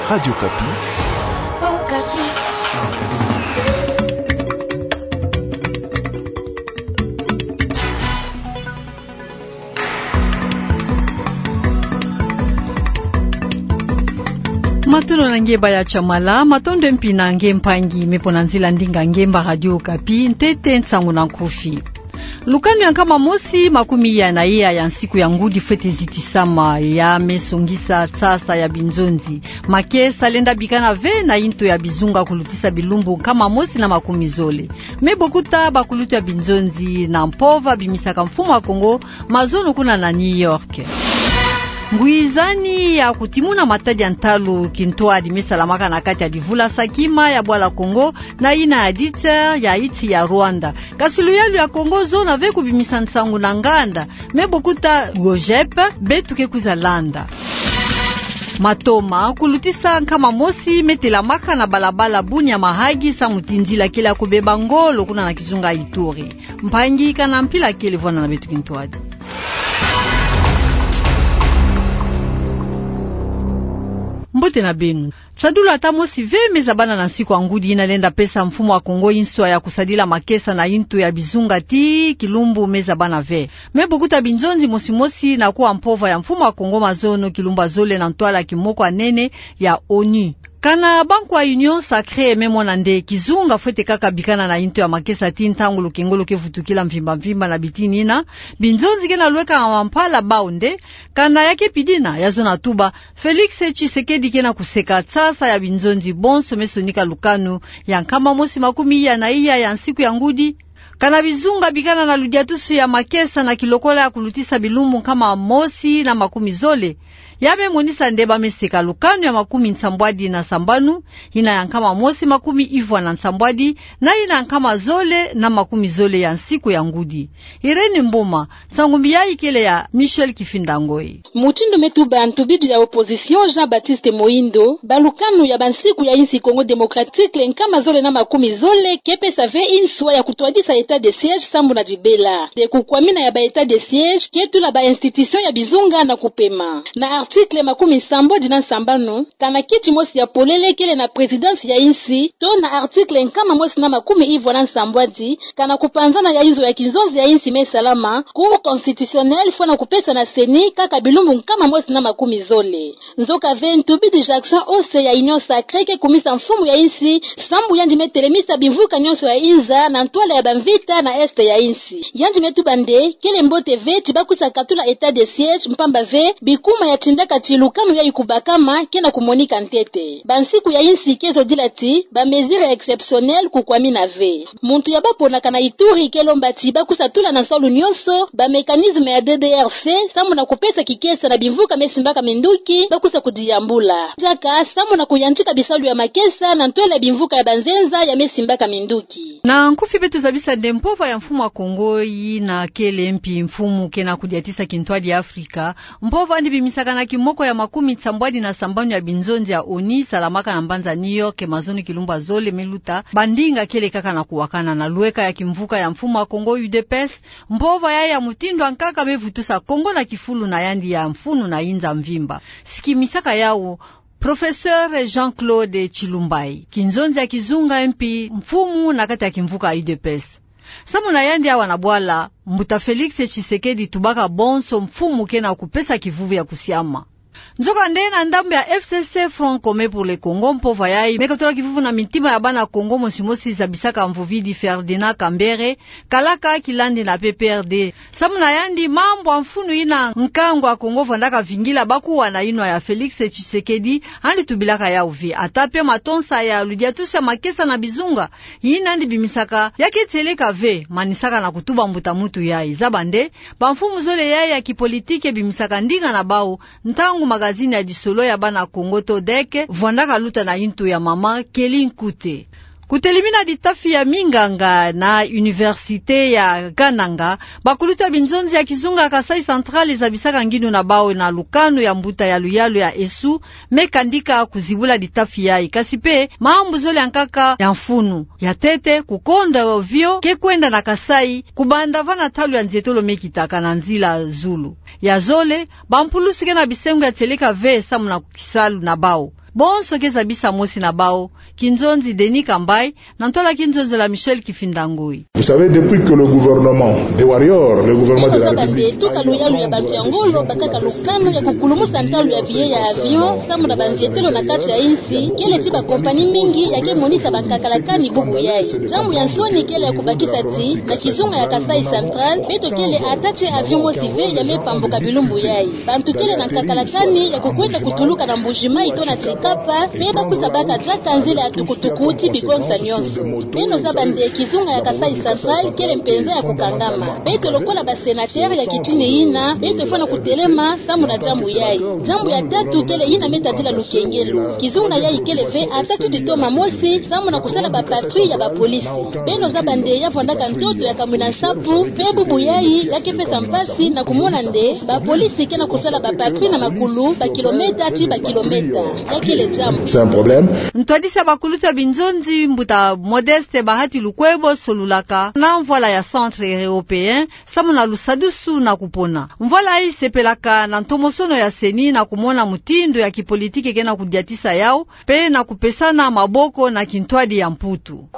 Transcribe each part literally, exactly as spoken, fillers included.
Radio Okapi. Matondo na nge baya Tshamala, matondo mpi na nge mpangi me pona nzila ndinga ngemba Radio Okapi, ntete nsangu na nkufi. Lukanu ya nkama mosi makumi iya na iya ya nsiku ya ngudi fwete zitisama, ya me songisa tsasa ya binzonzi, makesa lenda bikana ve na yinto ya bizunga kulutisa bilumbu nkama mosi na makumi zole. Me bokuta bakulutu ya binzonzi na mpova bimisaka mfumu wa Kongo mazono kuna na New York. Ngwizani ya kutimuna matadi ya ntalu kintwadi me salamaka na kati ya divula sakima ya bwala Kongo na yina ya diter ya iti ya Rwanda. Kasi luyalu ya Kongo zona ve kubimisa nsangu na nganda, me bokuta GOJEP, beto ke kwiza landa. Matoma kulutisa nkama mosi me telamaka na balabala Bunia Mahagi samu tindila kele ya kubeba ngolo kuna na kizunga Ituri. Mpangi, kana mpila kele vwanda na beto kintwadi. Mbote na beno. Tsadulu ata mosi ve me zabana na nsiku ya ngudi yina lenda pesa mfumu wa Kongo yinswa ya kusadila makesa na yinto ya bizunga tii kilumbu me zabana ve. Me bokuta binzonzi mosi mosi na kuwa mpova ya mfumu wa Kongo mazono kilumbu ya zole na ntwala kimoko ya nene ya ONU. Kana banku ya Union Sacrée me mona nde kizunga fwete kaka bikana na yinto ya makesa tii ntangu lukengolo ke vutukila mvimba mvimba na bitini yina, binzonzi ke na lweka na mampala bau nde, kana ya ke pidina, ya zona tuba, Félix Tshisekedi ke na kuseka tsasa ya binzonzi bonso me sonika lukanu ya nkama mosi makumi iya na iya ya nsiku ya ngudi. Kana bizunga bikana na ludiatusu ya makesa na kilokola ya kulutisa bilumbu nkama mosi na makumi zole, ya me monisa nde ba me seka lukanu ya makumi nsambwadi na sambanu, yina ya nkama mosi makumi ivwa na nsambwadi, na yina ya nkama zole na makumi zole ya nsiku ya ngudi. Irène Mboma, nsangu mbi yayi kele ya Michel Kifinda Ngoy. Mutindu me tuba ntubidi ya opposition Jean-Baptiste Moïndo, ba lukanu ya bansiku ya yinsi Congo Démocratique nkama zole na makumi zole ke pesa ve yinswa ya kutwadisa état de siège sambu na dibela. Nde kukwamina ya ba état de siège ke tula ba institution ya bizunga na kupema. Na article makumi nsambwadi na nsambanu, kana kiti mosi ya polele kele na présidence ya yinsi, to na article nkama mosi na makumi ivwa na nsambwadi, kana kupanzana ya inzo ya kinzonzi ya yinsi me salama, Cour constitutionnelle fwana kupesa na CENI kaka bilumbu nkama mosi na makumi zole. Nzoka ve ntubidi Jackson Osse ya Union Sacrée ke kumisa mfumu ya yinsi, sambu yandi me telemisa bimvuka nyonso ya inza na ntwala ya bamvita na est ya yinsi. Yandi me tuba nde kele mbote ve ti ba kwiza katula état de siège, mpamba ve bikuma ya tindaka ti lukanu yayi kubakama ke na kumonika ntete. Bansiku ya yinsi ke zodila ti ba mesures exceptionnelles kukwamina ve. Muntu ya ba ponaka na Ituri ke lomba ti ba kwiza tula na nsalu nyonso ba mécanisme ya DDRC, sambu na kupesa kikesa na bimvuka me simbaka minduki ba kwiza kudiyambula. Diaka sambu na kuyantika bisalu ya makesa na ntwala ya bimvuka ya banzenza ya me simbaka minduki. Na nkufi beto zabisa nde mpova ya mfumu wa Kongo yina kele mpi mfumu ke na kudiatisa kintwadi ya Afrika, mpova yandi bimisaka na kimoko ya makumi nsambwadi na sambanu ya binzonzi ya ONU salamaka na mbanza New York mazono kilumbu ya zole me luta, bandinga kele kaka na kuwakana na lweka ya kimvuka ya mfumu wa Kongo UDPS, mpova yayi ya mutindu ya nkaka me vutusa Kongo na kifulu na yandi ya mfunu na inza mvimba. Si kimisaka yawu, Professeur Jean-Claude Tshilumbayi, kinzonzi ya kizunga mpi mfumu na kati ya kimvuka ya UDPS. Sambu na yandi awa na bwala, mbuta Félix Tshisekedi tubaka bonso mfumu ke na kupesa kivuvu ya kusiama. Nzoka nde na ndambu ya FCC, Front Commun pour le Congo, mpova yayi me katola kivuvu na mitima ya bana Kongo mosi mosi zabisaka mvovidi Ferdinand Kambere, kalaka kilandi na PPRD. Sambu na yandi mambu ya mfunu yina nkangu ya Kongo vwandaka vingila bakuwa na yinwa ya Félix Tshisekedi, yandi tubilaka yawu ve. Ata pe matonsa ya ludiatusu ya makesa na bizunga, yina yandi bimisaka, ya ke tieleka ve, manisaka na kutuba mbuta muntu yayi. Zaba nde, bamfumu zole yayi ya kipolitike bimisaka ndinga na bawu, ntangu magazine ya disolo ya bana Kongo to DEC vwandaka luta na yintu ya mama Kelly Nkute. Kutelimina ditafi ya minganga na Université ya Kananga, bakulutu ya binzonzi ya kizunga Kasaï Central zabisaka ngindu na bawu na lukanu ya mbuta ya luyalu ya Esu, me kandika kuzibula ditafi yayi. Kasi pe, mambu zole ya nkaka ya mfunu. Ya ntete, kukonda ovio ke kwenda na Kasaï, kubanda vana ntalu ya nzietolo me kitaka na nzila zulu. Ya zole, bampulusu ke na bisengo ya tieleka ve samu na kisalu na bawu. Bonso ke zabisa mosi na bawu, kinzonzi Denis Kambayi, na ntwala kinzonzela Michel Kifinda Ngoi. Vous savez, depuis que le gouvernement des warriors, le gouvernement de la République, beno zaba nde tuka luyalu ya bantu ya ngolo bakaka lukanu ya kukulumusa ntalu ya billet ya avion, samu na banzietelo na kati ya insi, kele ti bakompani mingi ya ke monisa bankakalakani bubu yayi. Diambu ya nsoni kele ya kubakisa ti, na kizunga ya Kasaï Central, beto kele ata ti avion mosi ve ya me pambuka bilumbu yayi. Bantu kele na nkakalakani ya kukwenda kutuluka na Mbuji-Mayi to na Tshikapa, pe ba kwiza baka diaka nzila ya tukutuku ti bigonsa nyonso. Beno zaba nde kizunga ya Kasaï Central kele mpenza ya kukangama. Beto lokola ba sénateurs ya kitini yina, beto fwana kutelema samu na diambu yayi. Diambu ya tatu kele yina me tadila lukengelo. Kizunga yayi kele ve ata tutitoma mosi samu na kusala ba patrouilles ya ba polisi. Beno zaba nde ya vwandaka ntoto ya kamwina nsapu, pe bubu yayi ya ke pesa mpasi na kumona nde ba polisi ke na kusala ba patrouilles na makulu, ba kilomètres ti ba kilomètres. Ya kele diambu. C'est un problème. Ntwadisi ya bakulutu ya binzonzi, mbuta Modeste Bahati Lukwebo, solulaka na mvwala ya Centre Européen samu na lusadusu na kupona. Mvwala yayi sepelaka na ntomosono ya CENI na kumona mutindu ya kipolitiki ke na kudiatisa yawu, pe na kupesana maboko na kintwadi ya Mputu.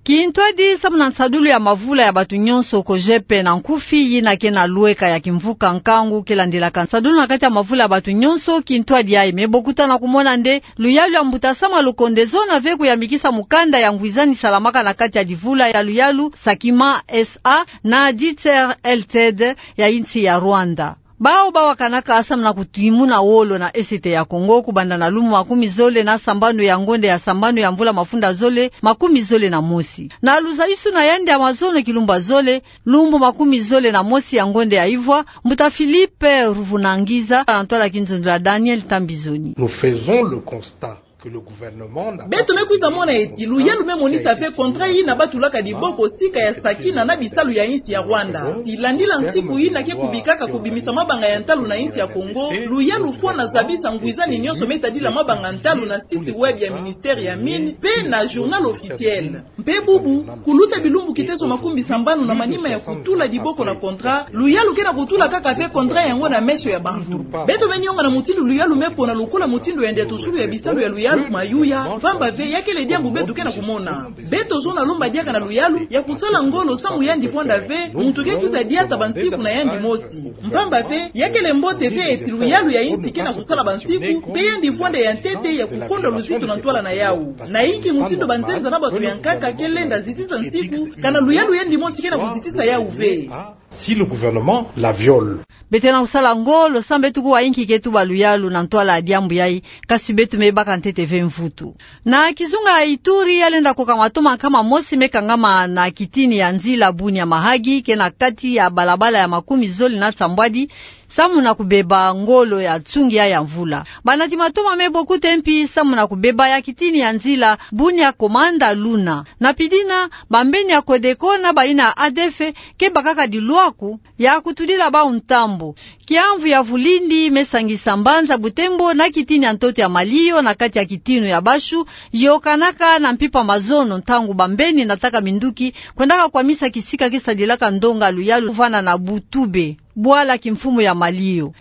Kintwadi samu na nsadulu ya mavula ya batu nyonso, COGEP na nkufi, yina ke na lweka ya kimvuka nkangu ke landelaka nsadulu na kati ya mavula ya batu nyonso, kintwadi yayi me bokuta na kumona nde luyalu ya mbuta Sama Lukonde zona ve kuyamikisa mukanda ya ngwizani salamaka na kati ya divula ya luyalu, Sakima S A na Dieter L T D ya insi ya Rwanda. Bawu bawakanaka samu na kutimuna wolo na Est ya Kongo, kubanda na lumbu makumi zole na sambanu ya ngonde ya sambanu ya mvula mafunda zole makumi zole na mosi. Na luzayisuna yandi ya mazono kilumbu ya zole, lumbu makumi zole na mosi ya ngonde ya ivwa, mbuta Philippe Ruvunangiza, na ntwala kinzonzela Daniel Tambizoni. Nous faisons le constat que le gouvernement n'a pas... Beto me kwiza mona eti luyalu me monisa ve contrat yina ba tulaka diboko sika ya Sakina na bisalu ya insi ya Rwanda. Ti landila nsiku yina ke kubikaka kubimisa mabanga ya ntalu na insi ya Kongo, luyalu fwana zabisa ngwizani nyonso me tadila mabanga ntalu na site web ya ministère ya Mines, pe na Journal Officiel. Mpe bubu, kuluta bilumbu kiteso makumi sambanu na manima ya kutula diboko na contrat, luyalu ke na kutula kaka ve contrat yango na meso ya bantu. Beto me nionga na mutindu luyalu me pona lokola mutindu ya ndiatusulu ya bisalu ya luyalu mayuya, mpamba ve ya kele diambu beto ke na kumona. Beto zona lomba diaka na luyalu ya kusala ngolo samu yandi vwanda ve muntu ke kwiza diata bansiku na yandi mosi. Mpamba ve, ya kele mbote ve eti luyalu ya insi ke na kusala bansiku, mpe yandi vwanda ya ntete ya kukonda luzitu na ntwala na yawu. Na inki mutindu banzenza na bato ya nkaka ke lenda zitisa nsiku, kana luyalu yandi mosi ke na kuzitisa yawu ve? Si le gouvernement la viole. Beto ke na kusala ngolo samu beto kuwa inki ke tuba luyalu na ntwala ya diambu yayi, kasi beto me baka ntete ve mvutu. Na kizunga ya Ituri, ya lenda koka mato ma nkama mosi me kangama na kitini ya nzila Bunia Mahagi, ke na kati ya balabala ya makumi zole na nsambwadi, samu na kubeba ngolo ya nsungi ya mvula. Banati mato ma me bokuta mpi samu na kubeba ya kitini ya nzila Bunia Komanda Luna. Na pidina, bambeni ya Codeco na bayina ya A D F ke bakaka dilwaku ya kutudila bawu ntambu. Kiamvu ya vulindi me sangisa mbanza Butembo na kitini ya ntoto ya Malio na kati ya kitinu ya Bashu, yokanaka na mpimpa mazono ntangu bambeni nataka minduki kwendaka kwamisa kisika ke sadilaka ndonga luyalu vwanda na Butube, bwala kimfumu ya Malio.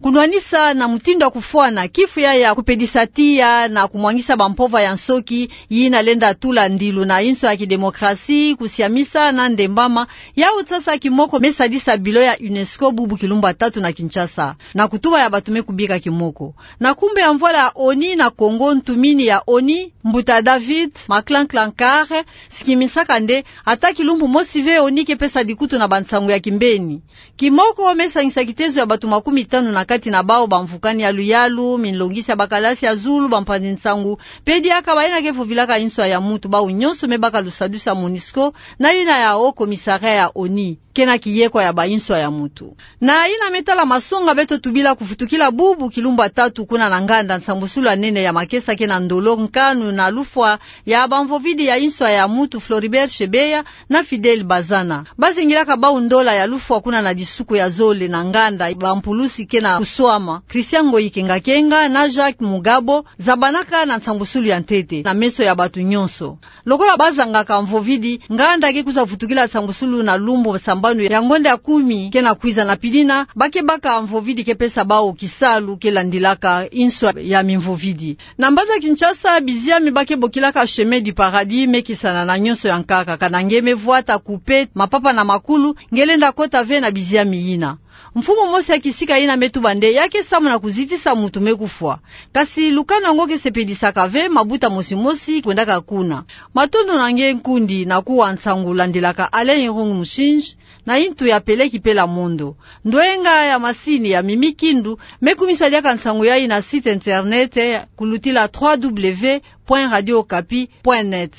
Kunwanisa na mutindu ya kufwana kifu ya, ya kupedisa tiya na kumwangisa bampova ya nsoki, yina lenda tula ndilu na inso ya kidemokrasi, kusiamisa na ndembama, yawu sasa kimoko me sadisa bilan ya UNESCO bubu kilumbu ya tatu na Kinshasa, na kutuba ya bato me kubika kimoko. Na kumbu ya mvwala ya ONI na Kongo, ntumini ya ONI, mbuta David Maclanclancarre, sikimisaka nde, ata kilumbu mosi ve ONI ke pesa dikutu na bansangu ya kimbeni. Kimoko me sangisa kitezo ya bato makumi tanu na kati na bawu bamvukani ya luyalu, minlongisi ya bakalasi ya zulu, bampanzi nsangu, mpe diaka bayina ke vovilaka inswa ya mutu, bawu nyonso me baka lusadusu ya MONUSCO na yina ya Haut Commissariat ya ONI, ke na kiyekwa ya bainswa ya mutu. Na yina me tala masonga beto tubila kuvutukila bubu kilumbu ya tatu kuna na nganda, nsambusulu ya nene ya makesa ke na ndolo, nkanu na lufwa ya bamvovidi ya inswa ya mutu Floribert Chebeya na Fidèle Bazana. Bazingilaka bawu ndola ya lufwa kuna na disuku ya zole na nganda, bampulusi ke na kuswama, Christian Ngoyi Kengakenga na Jacques Mugabo, zabanaka na nsambusulu ya ntete na meso ya bato nyonso. Lokola bazangaka mvovidi, nganda ke kwiza vutukila nsambusulu na lumbu samba ya ngonda ya kumi ke na kwiza, na pidina ba ke baka mvovidi ke pesa bawu kisalu ke landilaka inso ya mimvovidi. Na mbanza Kinshasa, biziami ba ke bokilaka Chemin du Paradis me kesana na nyonso ya nkaka, kana nge me vwata, kupe, mapapa na makulu nge lenda kota ve na biziami yina. Mfumu mosi ya kisika yina me tuba nde ya ke samuna kuzitisa mutu me kufwa. Kasi lukanu yango ke sepedisaka ve mabuta mosi mosi kwendaka kuna. Matondo na nge nkundi na kuwa nsangu landilaka Alain Irung Mushinji na intu ya Peleki Pela Mondo. Ndwenga ya masini ya Mimi Kindu me kumisa diaka nsangu yayi na site internet kulutila trois W point radio okapi point net.